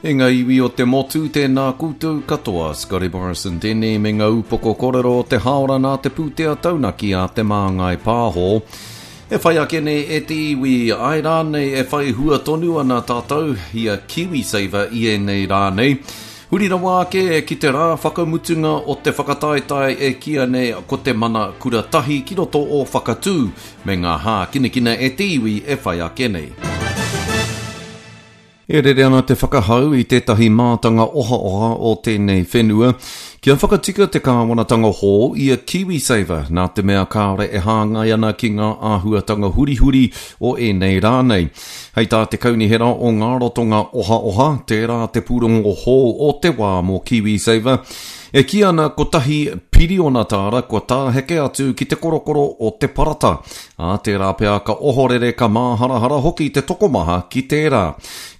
E ngā iwi o te motu, tēnā koutou katoa. Scotty Morrison tēnei me ngā upoko kōrero o te hāora nā te pūtea taunaki a Te Māngai Pāho. E whai ake nei e te iwi, āe rānei e whai hua tonu ana tātou i a KiwiSaver i ēnei rā nei. Huri rawa ake ki te rā whakamutunga o te whakataetae e kīia nei ko te Mana Kura Tahi ki roto o Whakatū me ngā hākinakina e te iwi e whai ake nei. E rere ana te whakahau i tētahi mātanga ohaoha o tēnei whenua kia whakatika te kāwanatanga hou i a KiwiSaver nā te mea kāore e hāngai ana ki ngā āhuatanga hurihuri o ēnei rā nei. Hei tā te Kaunihera o Ngā Ratonga Ohaoha, tērā te pūrongo hou o te wā mō KiwiSaver, e kī ana kotahi piriona tāra kua tāheke atu ki te korokoro o te parata, ā, tērā pea ka ohorere ka māharahara hoki te tokomaha ki tērā.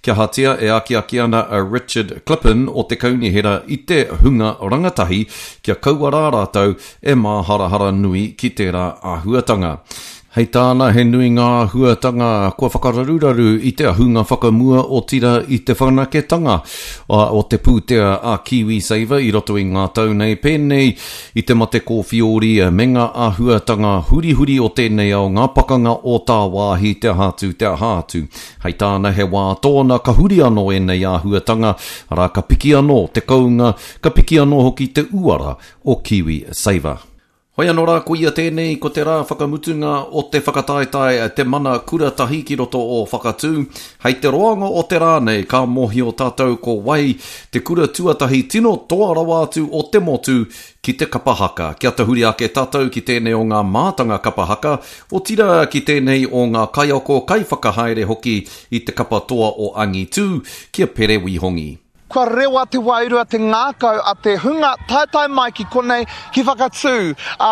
Kia ahatia e akiaki ana a Richard Klippen o te Kaunihera i te hunga rangatahi kia kaua rā rātou e māharahara nui ki tērā āhuatanga. Hei tāna, he nui ngā āhuatanga kua whakararuraru i te ahunga whakamua otirā i te whanaketanga o te pūtea a KiwiSaver i roto i ngā tau nei, pēnei i te mate kōwhiori me ngā āhuatanga hurihuri o tēnei ao, ngā pakanga o tāwāhi, te aha atu, te aha atu. Hei tāna, he wā tōna ka huri anō ēnei āhuatanga, arā, ka piki anō te kounga, ka piki anō hoki te uara o KiwiSaver. Hoi anō rā, koia tēnei ko te rā whakamutunga o te whakataetae Te Mana Kura Tahi ki roto o Whakatū. Hei te roanga o te rā nei ka mōhio tātou ko wai te kura tuatahi tino toa rawa atu o te motu ki te kapa haka. Kia tahuri ake tātou ki tēnei o ngā mātanga kapa haka, otirā ki tēnei o ngā kaiako, kaiwhakahaere hoki i te kapa toa o Angitū, ki a Pere Wihongi. Kua rewa te wairua, te ngākau a te hunga taetae mai ki konei ki Whakatū. Ā,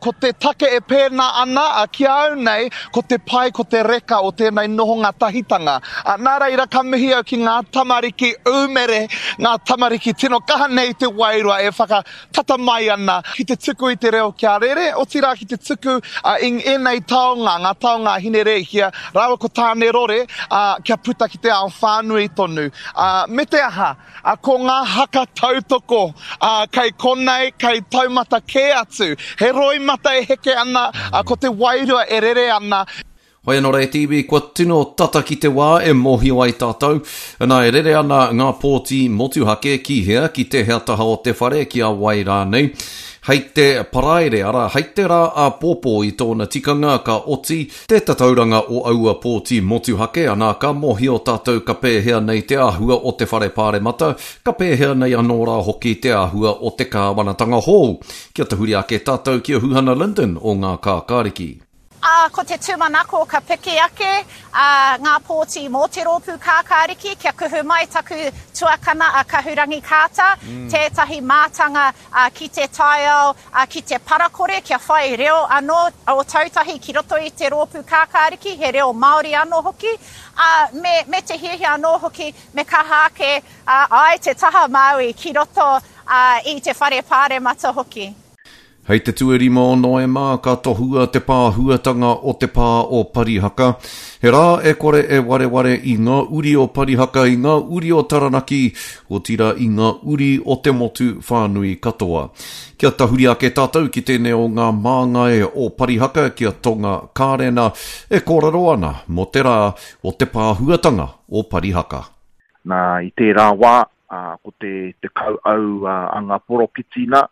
ko te take e pēnā ana, ā, ki a au nei, ko te pai, ko te reka o tēnei nohonga tahitanga. Ā, nā reira ka mihi au ki ngā tamariki ūmere, ngā tamariki tino kaha nei te wairua e whakatata mai ana ki te tuku i te reo kia rere, otirā ki te tuku i ēnei taonga, ngā taonga a Hinerēhia rāua ko Tānerore, ā, kia puta ki te ao whānui tonu. Ā, me te aha, ā, ko ngā haka tautoko, ā, kei konei, kei taumata kē atu. He roimata e heke ana, ā, ko te wairua e rere ana. Hoi anō rā e te iwi, kua tino tata ki te wā e mōhio ai tātou, nā, e rere ana ngā pōti motuhake ki hea, ki tēhea taha o te whare, ki a wai rānei. Hei te Paraire, arā, hei te rā āpōpō i tōna tikanga, ka oti te tatauranga o aua pōti motuhake, anā, ka mōhio tātou ka pēhea nei te āhua o te Whare Pāremata, ka pēhea nei anō rā hoki te āhua o te kāwanatanga hou. Kia tahuri ake tātou ki a Huhana Lyndon o Ngā Kākāriki. Ā, ko te tūmanako ka piki ake ngā pōti mō te Rōpū Kākāriki kia kuhu mai taku tuakana a Kahurangi Carter, tētahi mātanga ki te taiao, ki te parakore kia whai reo anō a Ōtautahi ki roto i te Rōpū Kākāriki, he reo Māori anō hoki, ā, me, me te hiahia anō hoki me kaha ake ai te taha Māui ki roto i te Whare Pāremata hoki. Hei te tuarima o Noema ka tohua te pāhuatanga o te pā o Parihaka. He rā e kore e wareware i ngā uri o Parihaka, i ngā uri o Taranaki, otirā i ngā uri o te motu whānui katoa. Kia tahuri ake tātou ki tēnei o ngā māngai o Parihaka ki a Tonga Kārena e kōrero ana mō te rā o te pāhuatanga o Parihaka. Nā, i tērā wā, ā, ko te, te kauau a ngā poropiti nā,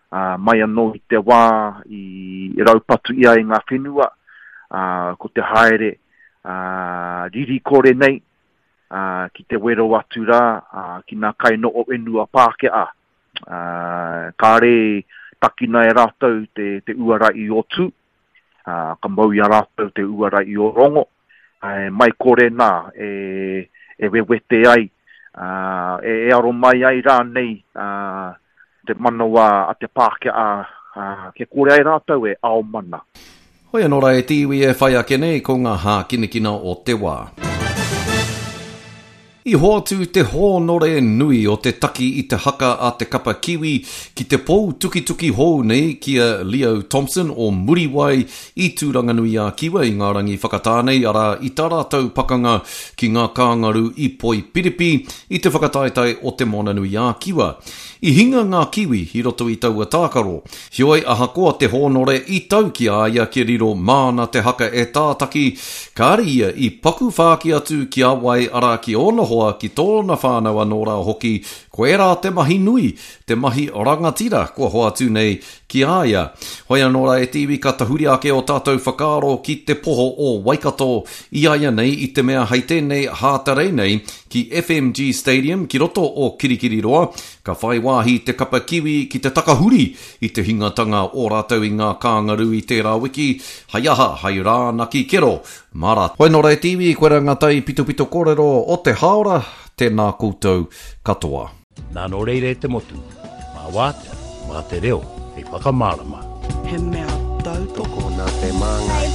ā, mai anō i te wā i raupatu ia i ngā whenua, ā, ko te haere, ā, riri kore nei, ā, ki te wero atu rā, ā, ki ngā kainoho whenua Pākehā. Ā, kāre takina e rātou te, te uara i o Tū, ā, ka mau i a rātou te uara i o Rongo, ā, e mai kore nā e, e wewete ai, ā, e, e aro mai ai rānei, ā, te manawa a te Pākehā, ā, kia kore ai rātou e ao mana. Hoi anō rā e te iwi e whai ake nei ko ngā hākinakina o te wā. I hoatu te hōnore nui o te taki i te haka a te kapa Kiwi ki te pou tukituki hou nei ki a Leo Thompson o Muriwai i Tūranganui-a-Kiwa i ngā rangi whakatā nei, arā, i tā rātou pakanga ki ngā kāngaru i Poipiripi i te whakataetae o Te Moananui-a-Kiwa. I hinga ngā Kiwi i roto i taua tākaro. Heoi, ahakoa te hōnore i tau ki a ia kia riro māna te haka e tātaki, kāre ia i paku whāki atu ki a wai, arā, ki ōna hoa, ki tōna whānau anō rā hoki, koirā te mahi nui, te mahi rangatira kua hoatu nei ki a ia. Hoi anō rā e te iwi ka tahuri ake ō tātou whakaaro ki te poho o Waikato i a ia nei i te mea hei tēnei Hātarei nei ki FMG Stadium ki roto o Kirikiriroa ka whai wāhi te kapa Kiwi ki te takahuri i te hingatanga o rātou i ngā kāngarū i tērā wiki hei aha, hei rānaki kero mā rātou. Hoi nō rā e te iwi, koirā ngā taipitopito kōrero o te hāora, tēnā koutou katoa. Nā nō reira e te motu, mā Wātea, mā te reo hei whakamārama. He mea tautoko. Tokona te māngai.